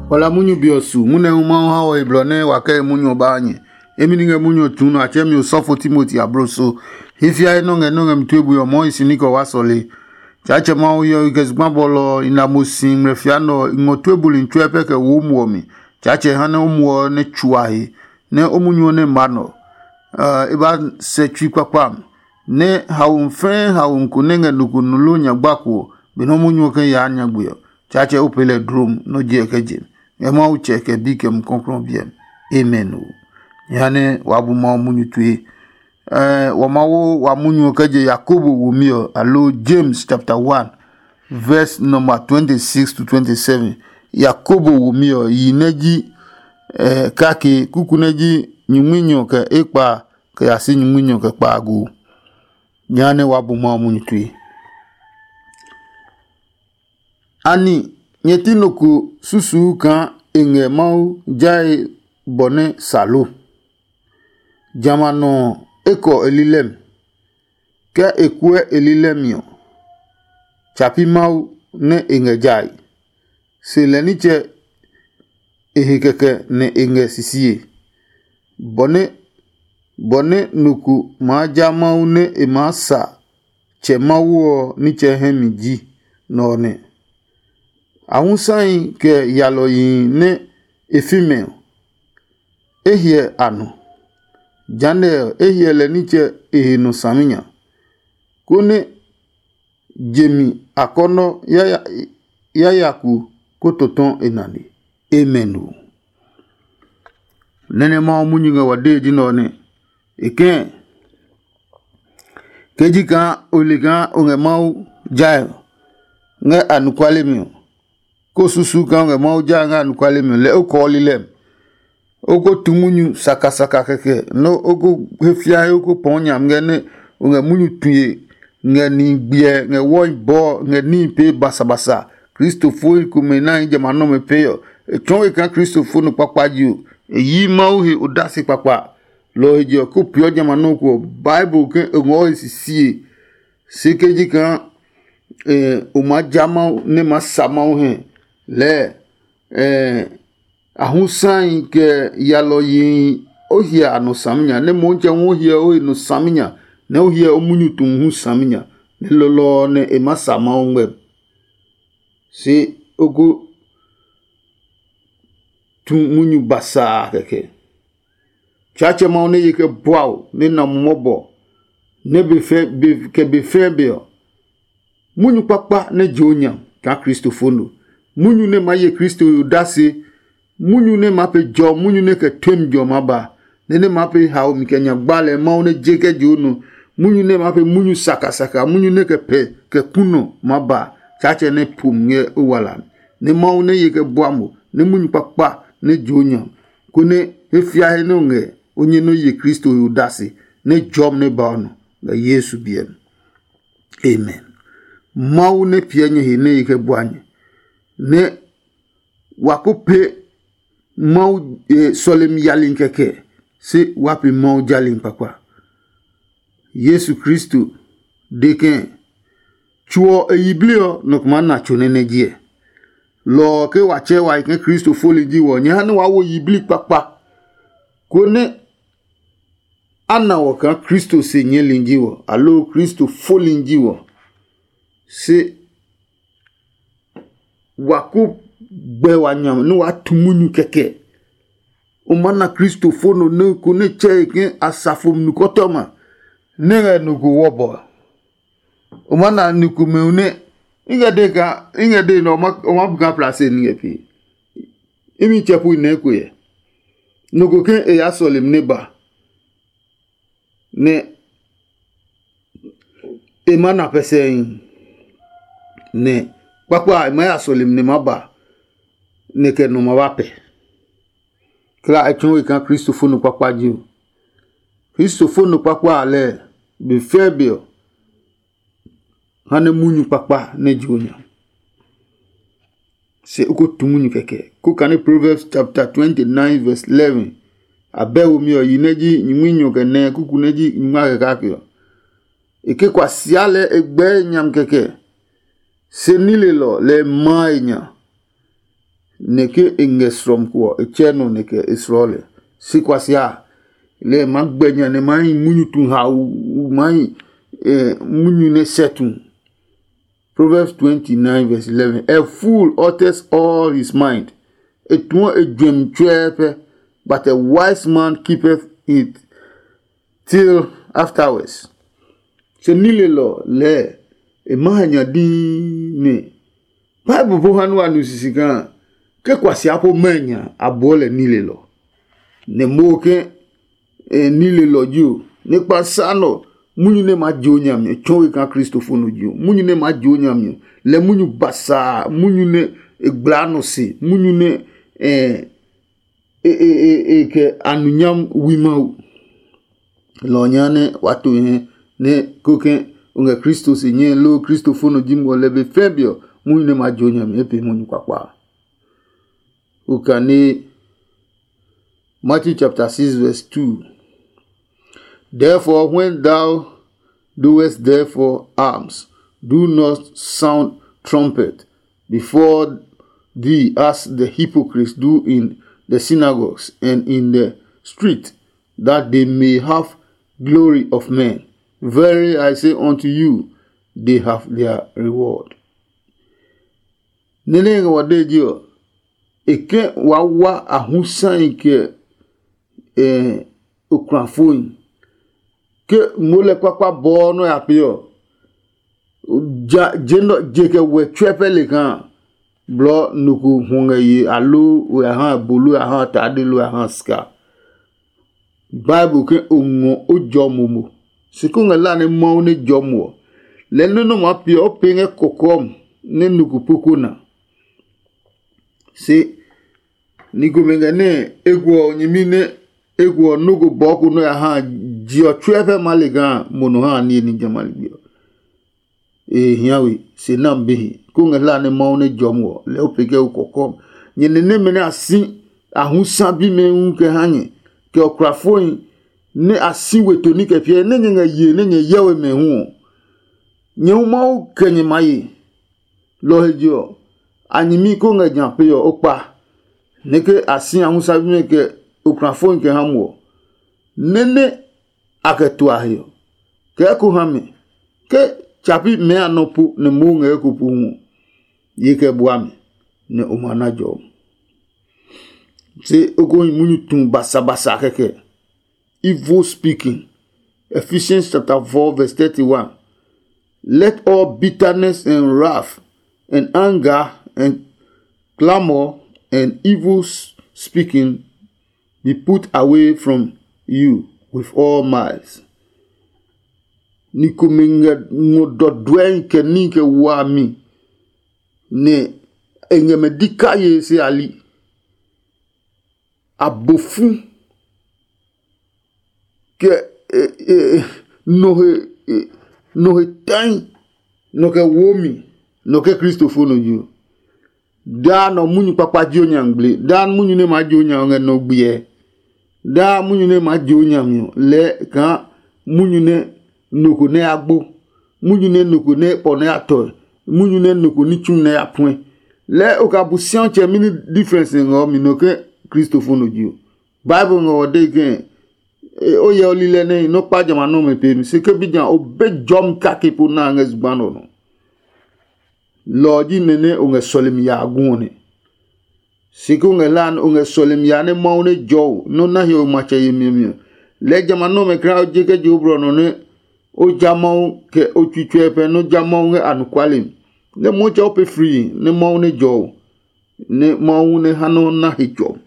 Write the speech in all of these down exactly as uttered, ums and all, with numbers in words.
Wala munyu be ɔ su, munɛ hu Mawu ha wɔ he blɔ nɛ wa kɛ he munyu ɔ ba ha nyɛ. Emi ni ngɛ munyu ɔ tuu nɔ a tsɛɛ mi osɔfo Timoti abloso. He fiae nɔ́ ngɛ nɔ́ ngɛ mi tue bui ɔ mɔɔ hi si ní kɛ wa sɔle. Tsaatsɛ Mawu hyɛ ɔ kɛ zugba bɔlɔ ɔ, i na mo si ngmlɛ fia nɛ ɔ, i ngɔ tue buli tsuɛ pɛ kɛ wo o muɔ mi. Tsaatsɛ ha nɛ o muɔ ɔ nɛ tsua he, nɛ o munyu ɔ nɛ ma nɔ. E ba sɛ tsui kpakpa mi, nɛ haomi fɛɛ haomi ko nɛ ngɛ nɔ ko nu loo nya gbako ɔ, benɛ o munyu ɔ kɛ yaa nyagbe ɔ, Tsaatsɛ o pee lɛ dlom nɛ o je ɛ kɛ je mi. Ngɛ Mawu tsɛ kɛ bi kɛ Mumi Klɔuklɔu ɔ biɛ mi. Amen o. Jehanɛ wa bu Mawu munyu tue. Wa ma wo wa munyu ɔ kɛ je Yakobo womi ɔ, aloo James chapter one, verse number twenty-six to twenty-seven. Yakobo womi ɔ, yi nɛ ji kake, kuku nɛ ji nyingminyɔ kɛ ekpa kɛ ya si nyingminyɔ kɛ kpaago. Jehanɛ wa bu Mawu munyu tue. Ani nyɛ ti nɔ ko susuu kaa e ngɛ Mawu jae bɔ nɛ sa lo? Jamɛ a nɔ ɔ, e kɔ e lilɛ mi. Ke e kuɛ e lilɛ mi ɔ, tsa pi Mawu nɛ e ngɛ jae. Se lɛ nitsɛ e he kɛkɛ nɛ e ngɛ sisie, bɔ nɛ bɔ nɛ nɔ ko maa ja Mawu nɛ e maa sa Tsɛ Mawu ɔ nitsɛ hɛ mi ji nɔ ɔ nɛ. Ahusahi kɛ yalɔyihi nɛ e fi mɛ ɔ, e hyɛ a nɔ. Jehanɛ ɔ, e hyɛ lɛ nitsɛ e he nɔ saminya, konɛ je mi akɔnɔ yayaku ko tɔtɔ e nane. Amen o. Nɛ́ nɛ Mawu munyu ngɛ wa dee ji nɛ ɔ nɛ. E kɛ̃ ke ji kaa o le kaa o ngɛ Mawu jae ngɛ anɔkuale mi ɔ, ko susu kaa o ngɛ Mawu jae ngɛ anɔkuale mi ɔ, lɛɛ o kɔɔ lilɛ mi. O ko tu munyu sakasaka kɛkɛ nɛ o ko he fia he o ko pɔɔ nyami ngɛ nɛ o ngɛ munyu tue ngɛ nihi gbiɛ ngɛ wɔhi bɔɔ ngɛ níhi pee basabasa. Kristofohi komɛ nɛ a hi jamɛ a nɔmɛ pee ɔ, e tsɔɔ we kaa Kristofo nɔ kpakpa ji o. E yi Mawu he odase kpakpa. Lɔ ɔ he je ɔ, ko peeɔ jamɛ a nɔ́ ko ɔ, Bible ke e ngɔɔ he sisie. Se ke ji kaa o maa ja Mawu nɛ maa sa Mawu hɛ lɛɛ, a hu sahi kɛ yalɔyihi o hyɛ a nɔ saminya, nɛ Motsɛ hu o hyɛ o he nɔ saminya, nɛ o hyɛ o munyu tu hu saminya, nɛ lɔlɔ ɔ nɛ e maa sa Mawu ngmɛmi. Se o ko tu munyu basaa kɛkɛ. Tsaatsɛ Mawu nɛ ye kɛ bua o, nɛ na mo mɔbɔ, nɛ be fɛ be kɛ be fɛɛ be ɔ, munyu kpakpa nɛ je o nya kaa Kristofo no. Munyu nɛ maa ye Kristo he odase, munyu nɛ maa pe jɔ, munyu nɛ kɛ temi jɔ maa ba, nɛ nɛ maa pe hao mi kɛ nya gbalɛ Mawu nɛ je kɛ je o nɔ. Munyu nɛ maa pe munyu sakasaka, munyu nɛ kɛ pɛ kɛ ku nɔ maa ba. Tsaatsɛ nɛ po mi ngɛ o wala mi, nɛ Mawu nɛ ye kɛ bua mo, nɛ munyu kpakpa nɛ je o nya, konɛ he fia he nɛ o ngɛ o nyɛ nɛ o ye Kristo he odase, nɛ jɔmi nɛ ba o nɔ ngɛ Yesu biɛ mi. Amen. Mawu nɛ piɛ nyɛ he nɛ ye kɛ bua nyɛ, nɛ wa ko pe Mawu sɔlemi yali kɛkɛ, se wa pe Mawu jali kpakpa. Yesu Kristo de ke tso ɔ e yiblii ɔ, nɔ ko maa na tso nɛ nɛ jiɛ. Lɔ ɔ ke wa tsɛɛ wa yi ke Kristo foli ji wɔ, nyɛ ha nɛ waa wo yiblii kpakpa, konɛ a na wɔ kaa Kristo se nyɛɛli ji wɔ, aloo Kristo foli ji wɔ. Se wa ko gbɛ wa nya nɛ waa tu munyu kɛkɛ. O maa na Kristofo no nɛ ko nɛ tsɛ e ke asafo nukɔtɔma nɛ ngɛ nɔ ko wɔbɔ. O maa na ni komɛ nɛ i ngɛ de ka i ngɛ de nɛ o ma bu ka plase ni ngɛ pee. Imi tsɛ pu nɛ ko yɛ. Nɔ ko ke e ya sɔle mi nɛ ba. Nɛ e ma na pɛsɛi, nɛ kpakpa a e ma ya sɔle mi nɛ ma ba, nɛ kɛ nɔ ma ba pɛ. Kla e tsɔɔ we kaa Kristofo nɔ kpakpa ji o. Kristofo nɔ kpakpa a lɛɛ, be fɛɛ be ɔ, ha nɛ munyu kpakpa nɛ ji o nya. Se o ko tu munyu kɛkɛ. Ko kane Proverbs chapter twenty-nine verse eleven. A bɛ womi ɔ yi nɛ ji nyumunyɔ kɛ nɛ kuku nɛ ji nyuma kɛ kake ɔ. E ke kwa sia lɛ e gbɛɛ nyam kɛkɛ. Se nilelɔ lɛ e maa e nya. nɛ ke e ngɛ srɔmi ko ɔ, e tsɛ nɔ nɛ kɛ e slɔɔ lɛ. Se kuasia a, lɛ e maa gbɛ nya nɛ e maa hi munyu tu hau, maa hi munyu nɛ sɛ tu. Proverbs twenty-nine verse eleven. A fool utters all his mind. E tuɔ e juɛmi tsuɛɛ pɛ, but a wise man keepeth it till afterwards. Se nilelɔ lɛɛ e ma ha nya dii nɛ Bible po ha nua nu sisi kaa ke kuasia po mɛ nya a buɔ lɛ nilelɔ. Nɛ mo ke e nilelɔ ji o, nɛ kpa sa nɔ munyu nɛ ma je o nyami tsɔɔ we kaa Kristofo nɔ ji o. Munyu nɛ ma je o nyami ɔ, lɛ munyu basaa, munyu nɛ e gbla nɔ se, munyu nɛ e e e e kɛ anunyam wi Mawu. Lɔ nya nɛ wa to hɛ nɛ ko ke o ngɛ Kristo se nyɛ loo Kristofo nɔ ji mo lɛ be fɛ be ɔ, munyu nɛ ma je o nyami e pe munyu kpakpa. Okane Matthew chapter six verse two. Therefore, when thou doest therefore alms, do not sound trumpet before thee as the hypocrites do in the synagogues and in the street, that they may have glory of men. Verily I say unto you, they have their reward. Nene ngɛ wɔ de ji ɔ, e ke wa wa ahusai kɛ okulafoi. Ke mo lɛ kpakpa bɔɔ nɔ ya pe ɔ, ja je nɔ je kɛ wɛ tsɔɛ pɛ le kaa blɔ nɔ ko hwɔ ngɛ ye aloo o ya ha bolo ya ha tade lo ya ha ska. Bible ke o ngɔ o jɔ momo, si ko ngɛ la nɛ Mawu nɛ jɔ mo ɔ, lɛ nɔ́ nɛ o maa piɛ o pee ngɛ kɔkɔɔ nɛ nɔ ko po ko na. Se ni komɛ ngɛ nɛ ego ɔ nyɛmi nɛ ego ɔ nɔ́ ko bɔɔ ko nɔ́ ya ha je ɔ tsuɛ fɛ ma le kaa mo nɔ ha niye ní jamɛ a ligbi ɔ. E hia we se nam bihi ko ngɛ hla nɛ Mawu nɛ jɔ mo ɔ, lɛ o pe kɛ o kɔkɔ. Nyɛ nɛ nɛmɛ nɛ a si a hu sa bimɛ hu kɛ ha nyɛ, kɛ ɔkrafohi nɛ a si we toni kɛ piɛ nɛ nyɛ ngɛ ye nɛ nyɛ yɛ we mɛ hu ɔ, nyɛ hu Mawu kɛ nyɛ ma ye. Lɔ he je ɔ, a nyɛmi ko ngɛ nya pe ɔ o kpa, nɛ ke a si a hu sa bimɛ kɛ okrafohi kɛ ha mo ɔ, nɛ nɛ a kɛ tua he ɔ, kɛɛ ko ha mɛ ke tsapi mɛɛ a nɔ po nɛ moo ngɛ eko po hu ɔ, ye kɛ bua mi, nɛ o ma na jɔ. Se o ko hi munyu tu basabasa kɛkɛ. Evil speaking. Ephesians chapter four verse thirty-one. Let all bitterness and wrath and anger and clamor and evil speaking be put away from you with all malice. Ni komɛ ngɛ ngɔ dɔdɔɛi kɛ ní kɛ wami, nɛ e ngɛ mɛ di kaye se a li. Abofu kɛ nɔ he nɔ he tai, nɔ kɛ wo mi, nɔ kɛ kristofo nɔ yi. Daa nɔ munyu kpakpa ji o nya ngble, daa munyu nɛ maa ji o nya ngɛ nɔ gbiɛ. Daa munyu nɛ maa ji o nya mi ɔ, lɛɛ kaa munyu nɛ nɔ ko nɛ ya gbo, munyu nɛ nɔ ko nɛ pɔ nɛ ya tɔe, munyu nɛ nɔ ko ní tsumi nɛ ya puɛ. Lɛɛ o ka bu siatsɛ mini difference ngɛ ɔ mi nɔ ke kristofo nɔ ji o. Bible ngɛ ɔ de ke o yɛ o lilɛ nɛ nɔ kpa jamɛ a nɔmɛ pe mi se ke bi nya o be jɔmi kake po na ngɛ zugba nɔ nɔ. Lɔ ɔ ji nɛ nɛ o ngɛ sɔlemi ya a gu ɔ nɛ. Si ko ngɛ hlae nɛ o ngɛ sɔlemi ya nɛ Mawu nɛ jɔ o nɛ o na hiɔwe matsɛ yemi ɔ mi ɔ, lɛɛ jamɛ a nɔmɛ kra o je kɛ je o blɔ nɔ nɛ o ja Mawu kɛ o tsui tsuɛ pɛ nɛ o ja Mawu ngɛ anɔkuale mi. Nɛ Mawu tsɛ o pee frii nɛ Mawu nɛ jɔ o, nɛ Mawu nɛ ha nɛ o na he jɔ.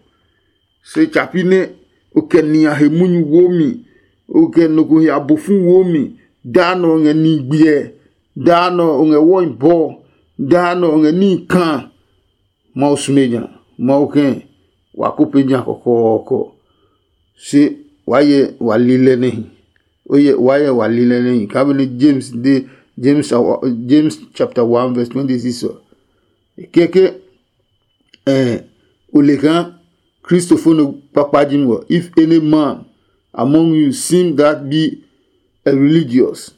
Se tsapi nɛ o kɛ nia he munyu womi, o kɛ nɔ ko he abofu womi, daa nɔ o ngɛ ni gbiɛ, daa nɔ o ngɛ wɔi bɔɔ, daa nɔ o ngɛ níhi kaa. Mawu sume nya, Mawu kɛ̃ wa ko pe nya kɔkɔɔkɔ. Se waa yɛ wa li lɛ nɛhi. O yɛ waa yɛ wa li lɛ nɛhi. Kaa benɛ James de James James chapter one verse twenty six ɔ. Kɛkɛ eh, o le kaa kristofo nɔ kpakpa ji mi ɔ. If any man among you seem that be a religious,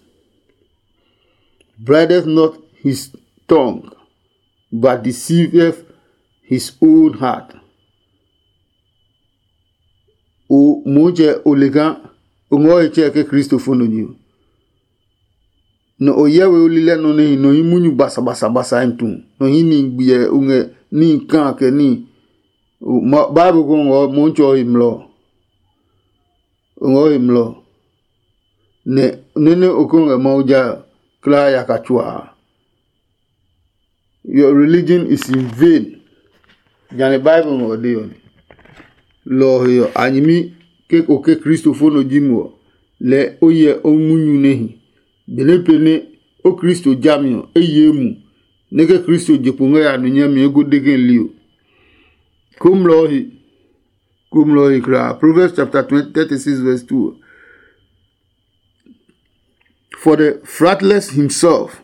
brideth not his tongue, but deceiveth his own heart. O Motsɛ, o le kaa o ngɔ he tsɛ ke Kristo fo nɔ nyi o. Nɔ o hyɛ we o lilɛ nɔ nɛ hi nɔ hi munyu basabasabasa hi tu, nɔ hi ni gbiɛ o ngɛ ní kaa kɛ ní. Bible ko ngɔ Motsɛ ɔ he mlɔ. O ngɔ he mlɔ. Nɛ nɛnɛ o ko ngɛ Mawu ja klaa yaka tsuaa. Your religion is in vain. Jane Bible ngɔ de ɔ ne. Lɔ ɔ he ɔ, a nyɛmi ke o ke Kristo fo nɔ ji mo ɔ, lɛɛ o hyɛ o munyu nɛ hi. Benɛ pɛ nɛ o Kristo jami ɔ, e ye mu, nɛ ke Kristo je kpo ngɛ ya nɔ nyami eko de ke li o. Komlɔ ɔ he, komlɔ ɔ he kulaa. Proverbs chapter twenty, thirty-six verse two. For the fratless himself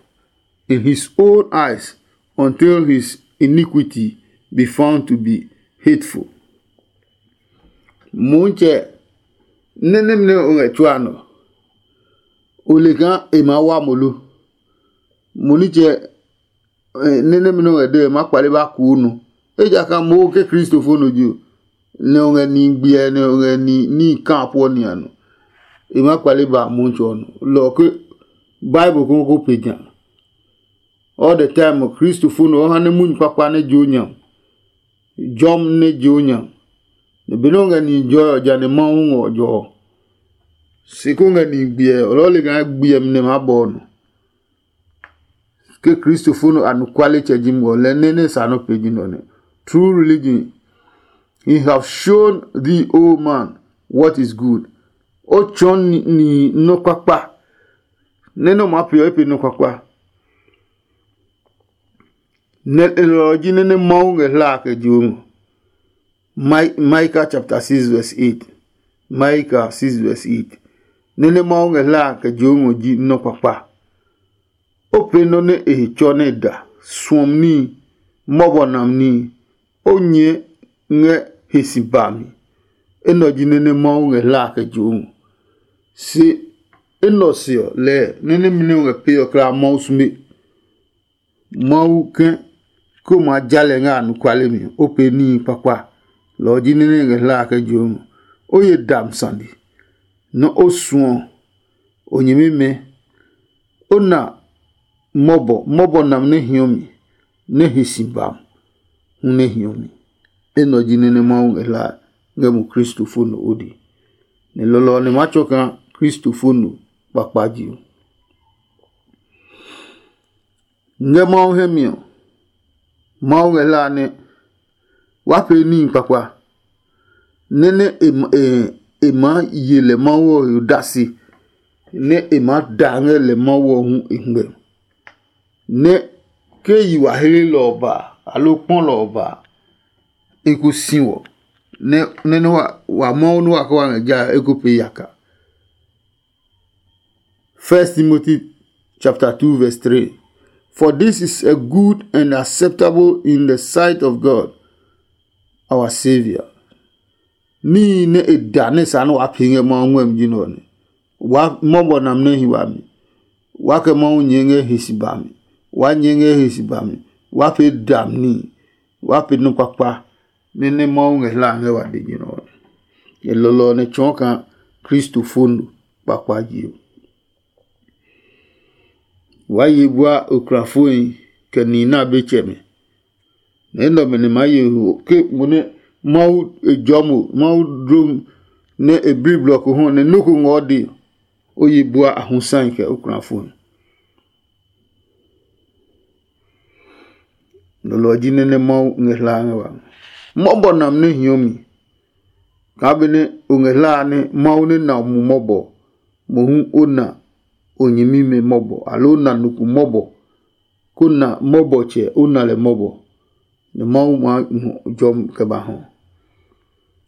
in his own eyes until his iniquity be found to be hateful. Motsɛ, nɛ nɛmɛ nɛ o ngɛ tsuaa nɔ, o le kaa e maa wa mo lo? Mo nitsɛ, nɛ nɛmɛ nɛ o ngɛ de ɔ, e maa kpale ba kuu nɔ. Ejakaa mo ke Kristo fo nɔ ji o, nɛ o ngɛ ni gbiɛ nɛ o ngɛ ni ní kaa puɔ ni a nɔ. E maa kpale ba Motsɛ ɔ nɔ. Lɔ ɔ ke Bible ko ko pe ja. All the time Kristo fo nɔ ɔ ha nɛ munyu kpakpa nɛ jo nya. Jɔm nɛ je o nya. Nɛ benɛ o ngɛ nihi jɔe ɔ, ja nɛ Mawu ngɔ jɔ ɔ. Se ko ngɛ nihi gbiɛ ɔ, lɔɔ le kaa gbiɛ mi nɛ maa bɔ ɔ nɔ. Ke Kristo fo nɔ anɔkualetsɛ ji mo ɔ, lɛ nɛ nɛ sa nɔ pe ji nɔ nɛ. True religion, he have shown thee, O man, what is good. O tsɔɔ nihi nɔ́ kpakpa. Nɛ nɛ o maa pe ɔ, e pe nɔ́ kpakpa. Nɛ e lɔ ɔ ji nɛ nɛ Mawu ngɛ hla a kɛ je o ngɔ. Micah chapter six verse eight. Micah six verse eight. Nɛ nɛ Mawu ngɛ hla a kɛ je o ngɔ ji nɔ́ kpakpa. O pee nɔ́ nɛ e he tsɔ nɛ e da, suɔmi níhi, mɔbɔ nam níhi, o nyɛɛ ngɛ he si ba mi. Enɛ ɔ ji nɛ nɛ Mawu ngɛ hla a kɛ je o ngɔ. Se enɛ ɔ se ɔ, lɛɛ nɛ nɛmɛ nɛ o ngɛ pee ɔ kulaa Mawu sume. Mawu ke ko maa ja lɛ ngɛ anɔkuale mi, o pee níhi kpakpa. Lɔ ɔ ji nɛ nɛ ngɛ hla a kɛ je o ngɔ. O ye dam sane, nɛ o suɔ o nyɛmimɛ, o na mɔbɔ, mɔbɔ nam nɛ hiɔ mi, nɛ hi si bam hu nɛ hiɔ mi. Enɛ ɔ ji nɛ nɛ Mawu ngɛ hla ngɛ mo Kristo fo nɔ o de. Nɛ lɔlɔ ɔ nɛ ma tsɔ kaa Kristo fo nɔ kpakpa je o. Ngɛ Mawu hɛ mi ɔ, Mawu ngɛ hla nɛ wa pee níhi kpakpa, nɛ nɛ e ma- e- e maa ye lɛ Mawu ɔ he odase, nɛ e maa da ngɛ lɛ Mawu ɔ hu e ngmɛ. Nɛ ke yi wa hlelɔ ɔ ba, aloo kpɔlɔ ɔ ba, e ko si wɔ, nɛ nɛ nɛ wa wa Mawu nɛ wa kɛ wa ngɛ ja e ko pee yaka. First Timothy chapter two verse three. For this is a good and acceptable in the sight of God, our Savior. Níhi nɛ e da nɛ sa nɛ waa pee ngɛ Mawu ngmɛmi ji nɛ ɔ nɛ. Wa mɔbɔ nam nɛ hi wami. Wa kɛ Mawu nyɛɛ ngɛ he si bami. Wa nyɛɛ ngɛ he si bami. Wa pee dam níhi. Wa pee nɔ kpakpa nɛ nɛ Mawu ngɛ hla ngɛ wa de ji nɛ ɔ nɛ. E lɔlɔ ɔ nɛ tsɔɔ kaa Kristo fo no kpakpa je ɔ. Waa ye bua okrafohi kɛ nihi nɛ a be tsɛmɛ. Nɛ enɛ ɔmɛ nɛ maa ye ho ke mo nɛ Mawu e jɔɔ mo, Mawu dlom nɛ e bli blɔ ko hɔ nɛ nɔ́ ko ngɔɔ de, o ye bua a hu sahi kɛ okrafohi. Lɔlɔ ɔ ji nɛ nɛ Mawu ngɛ hlaa ngɛ wa. Mɔbɔ nam nɛ hiɔ mi. Kaa benɛ o ngɛ hlaa nɛ Mawu nɛ na o mu mɔbɔ, mohu o na o nyɛmimɛ mɔbɔ, aloo o na nɔ ko mɔbɔ, ko na mɔbɔtsɛ o na lɛ mɔbɔ, nɛ Mawu maa ngɔ jɔmi kɛ ba hɔ.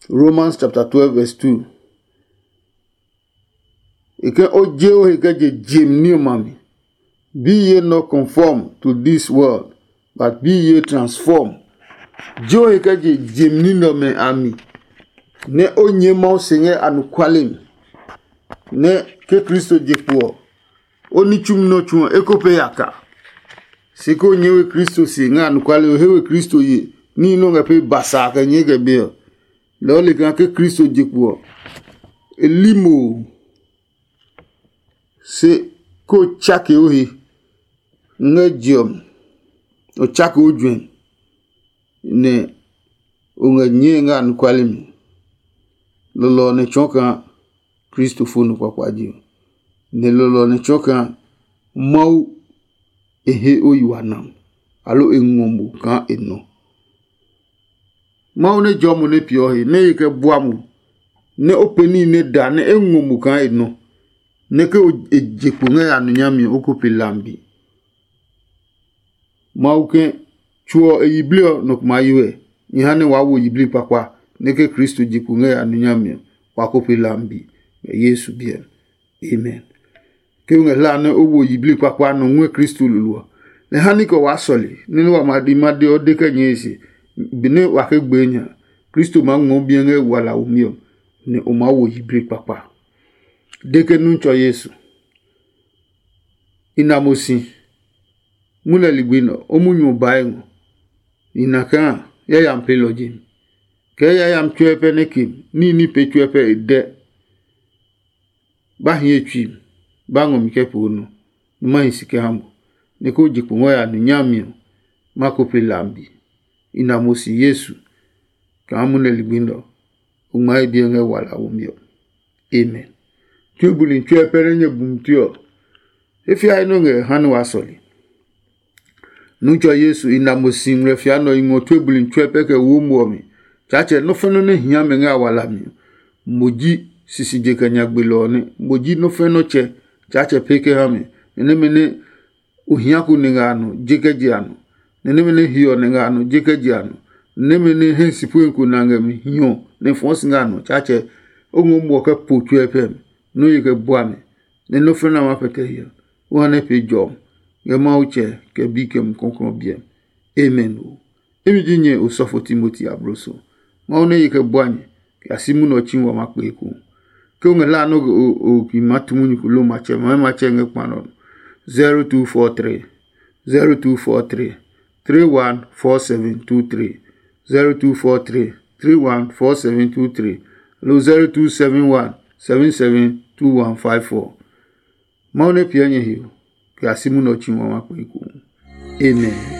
Romans chapter twelve verse two. E ke o je o he kɛ je jem ní ɔmɛ a mi. Be ye not conform to this world, but be ye transform. Je o he kɛ je jem ní nɛ ɔmɛ a mi, nɛ o nyɛ Mawu se ngɛ anɔkuale mi, nɛ ke Kristo je kpo ɔ, o ní tsumi nɔ tsu ɔ, e ko pee yaka. Se ko nyɛ we Kristo se ngɛ anɔkuale ɔ, he we Kristo ye Níhi nɛ o ngɛ pee basa kɛ nyɛɛ kɛ be ɔ, lɛɛ o le kaa ke Kristo je kpo ɔ, e li mo ɔ. Se ko tsake o he ngɛ je ɔ mi, o tsake o juɛ, nɛ o ngɛ nyɛɛ ngɛ anɔkuale mi. Lɔlɔ ɔ nɛ tsɔɔ kaa Kristo fo nɔ kpakpa ji ɔ, nɛ lɔlɔ ɔ nɛ tsɔɔ kaa Mawu e he o yi wa nam, aloo e ngɔ mo kaa e nɔ. Mawu nɛ jɔɔ mo nɛ peeɔ he, nɛ e kɛ bua mo, nɛ o pɛ níhi nɛ da nɛ e ngɔ mo kaa e nɔ, nɛ ke o e je kpo ngɛ ya nɔ nyami ɔ, o ko pe lambi. Mawu ke tso ɔ e yiblii ɔ nɔ ko maa yi wɛ, nyɛ ha nɛ waa wo yiblii kpakpa, nɛ ke Kristo je kpo ngɛ ya nɔ nyami ɔ, wa ko pe lambi ngɛ Yesu biɛ mi. Amen. Ke o ngɛ hlaa nɛ o wo yiblii kpakpa nɔ ngɔɛ Kristo lolo ɔ, nɛ ha ní kɛ waa sɔle, nɛ nɛ wa ma di ma de ɔ de kɛ nyɛɛ se, benɛ wa ke gbee nya, Kristo maa ngmɔ biɛ ngɛ wala womi ɔ, nɛ o maa wo yiblii kpakpa. De ke nu tsɔ Yesu. I na mo si. Mu lɛ ligbi nɛ o munyu ɔ bae ngɔ. I na kaa yayami peelɔ ji mi. Kɛɛ yayami tsuɛ pɛ nɛ ke níhi ní pee tsuɛ pɛ e dɛ. Ba hi ye tsui mi, ba ngɔ mi kɛ poo nɔ, nɛ ma hi si kɛ ha mo, nɛ ko je kpo ngɔ ya nɔ nyami ɔ, ma ko pe lambi. I na mo si Yesu kaa mu nɛ ligbi nɛ ɔ, o ngmaa e biɛ ngɛ wala womi ɔ. Amen. Tue buli tsuɛ pɛ nɛ nyɛ bumi tue ɔ, e fia he nɔ ngɛ ha nɛ wa sɔle. Nutsɔ Yesu i na mo si ngmlɛfia nɔ i ngɔ tue buli tsuɛ pɛ kɛ wo mo ɔ mi. Tsaatsɛ nɔ́ fɛnɔ nɛ hia mɛ ngɛ a walami ɔ, mo ji sisije kɛ nyagbelɔ ɔ nɛ. Mo ji nɔ́ fɛnɔ tsɛ. Tsaatsɛ pee kɛ ha mɛ, nɛ nɛmɛ nɛ o hia ko nɛ ngɛ a nɔ je kɛ je a nɔ, nɛ nɛmɛ nɛ hiɔ nɛ ngɛ a nɔ je kɛ je a nɔ, nɛmɛ nɛ hɛ si pue ko na ngɛ mi hiɔ nɛ fɔɔ si ngɛ a nɔ. Tsaatsɛ o ngɔ muɔ kɛ po tsuɛ pɛ mi, nɔ́ ye kɛ bua mi, nɛ nɔ́ fɛnɛ a maa pɛtɛ hiɔ. O ha nɛ pee jɔmi ngɛ Mawu tsɛ kɛ bi kɛ Mumi Klɔuklɔu biɛ mi. Amen o. Imi ji nyɛ osɔfo Timoti abloso. Mawu nɛ ye kɛ bua nyɛ kɛ ya si munɛ ɔ tsi wa ma kpee eko. Ke o ngɛ hlaa nɛ o ki ma tu munyu ko lo matsɛ ma matsɛ ngɛ kpa nɔ. Zero two four three, zero two four three, three one four seven two three, zero two four three, three one four seven two three, lo zero two seven one, seven seven two one five four. Mawu nɛ piɛ nyɛ hiyo kɛ ya si munɛ ɔ tsi wa ma kpee eko. Amen.